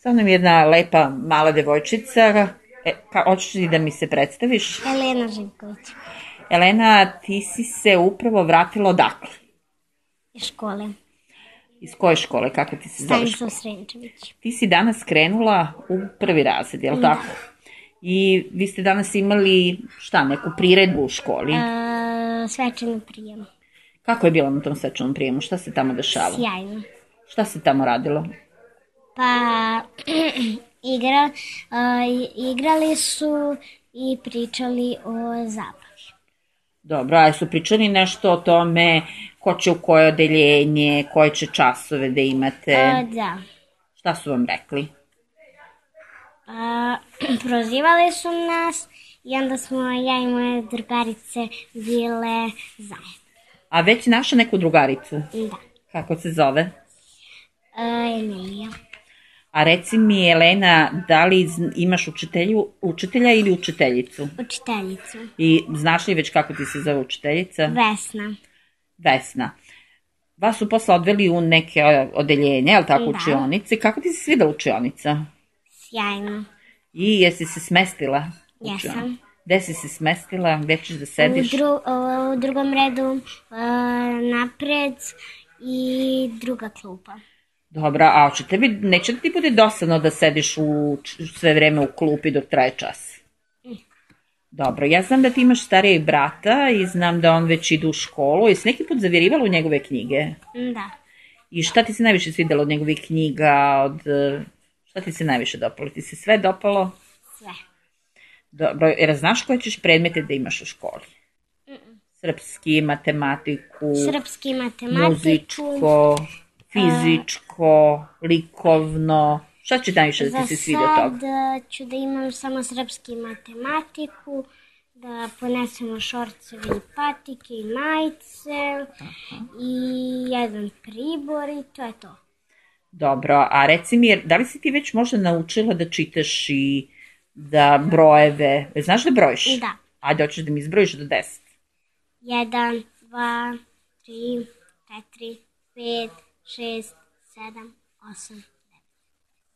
Sa mnom je jedna lepa mala devojčica. Hoćeš li da mi se predstaviš? Elena Živković. Elena, ti si se upravo vratila odakle? Iz škole. Iz koje škole? Kako ti se zove škola? Stanislav Srenčević. Ti si danas krenula u prvi razred, je li tako? I vi ste danas imali, neku priredbu u školi? Svečani prijem. Kako je bilo na tom svečanom prijemu? Šta se tamo dešavalo? Sjajno. Šta se tamo radilo? Pa igrali su i pričali o zabavi. Dobro, a su pričali nešto o tome ko će u koje odeljenje, koje će časove da imate? Da. Šta su vam rekli? Prozivali su nas i onda smo ja i moje drugarice bile zajedno. A već si našla neku drugaricu? Da. Kako se zove? Emilija. A reci mi, Elena, da li imaš učitelja ili učiteljicu? Učiteljicu. I znaš li već kako ti se zove učiteljica? Vesna. Vesna. Vas su posle odveli u neke odeljenje, je li tako, učionice? Kako ti se svida učionica? Sjajno. I jesi se smestila? Jesam. Gde si se smestila? Gde ćeš da sediš? U drugom redu napred i druga klupa. Dobro, a neće da ti bude dosadno da sediš sve vreme u klupi dok traje čas? Dobro, ja znam da ti imaš starijeg brata i znam da on već ide u školu. Jesi neki put zavirivalo u njegove knjige? Da. I šta ti se najviše svidelo od njegovih knjiga? Šta ti se najviše dopalo? Ti se sve dopalo? Sve. Dobro, jer znaš koje ćeš predmete da imaš u školi? Srpski, matematiku, muzičko, fizičko, likovno. Šta će najviše da ti se svidi od toga? Za sad ću da imam samo srpski i matematiku, da ponesemo šorcevi i patike i majice i jedan pribor i to je to. Dobro, a reci mi, da li si ti već možda naučila da čitaš i da brojeve, znaš da brojiš? Da. Ajde, hoćeš da mi izbrojiš do 10? 1, 2, 3, 4, 5, 6, 7, 8.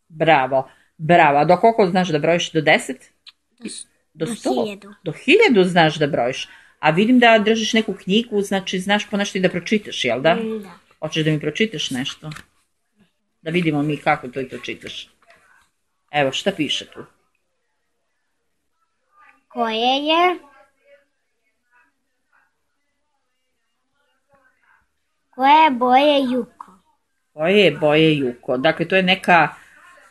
Bravo, bravo. A do koliko znaš da brojiš? Do 10? Do 1000. Do 1000 znaš da brojiš. A vidim da držiš neku knjigu, znači znaš ponešto i da pročitaš, jel da? Da. Hoćeš da mi pročitaš nešto? Da vidimo mi kako to i pročitaš. Evo, šta piše tu? Koje je boje Juko? Koje je boje Juko? Dakle, to je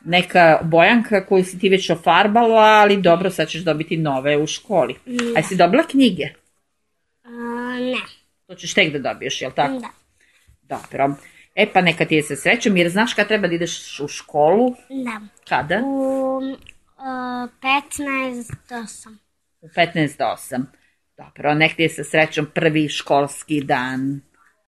neka bojanka koju si ti već ofarbala, ali dobro, sad ćeš dobiti nove u školi. A jesi dobila knjige? Ne. To ćeš tek da dobiješ, jel tako? Da. Dobro. E pa neka ti je sa srećom, jer znaš kad treba da ideš u školu? Da. Kada? U 15 do 8. U 15 do 8. Dobro, nek ti je sa srećom prvi školski dan.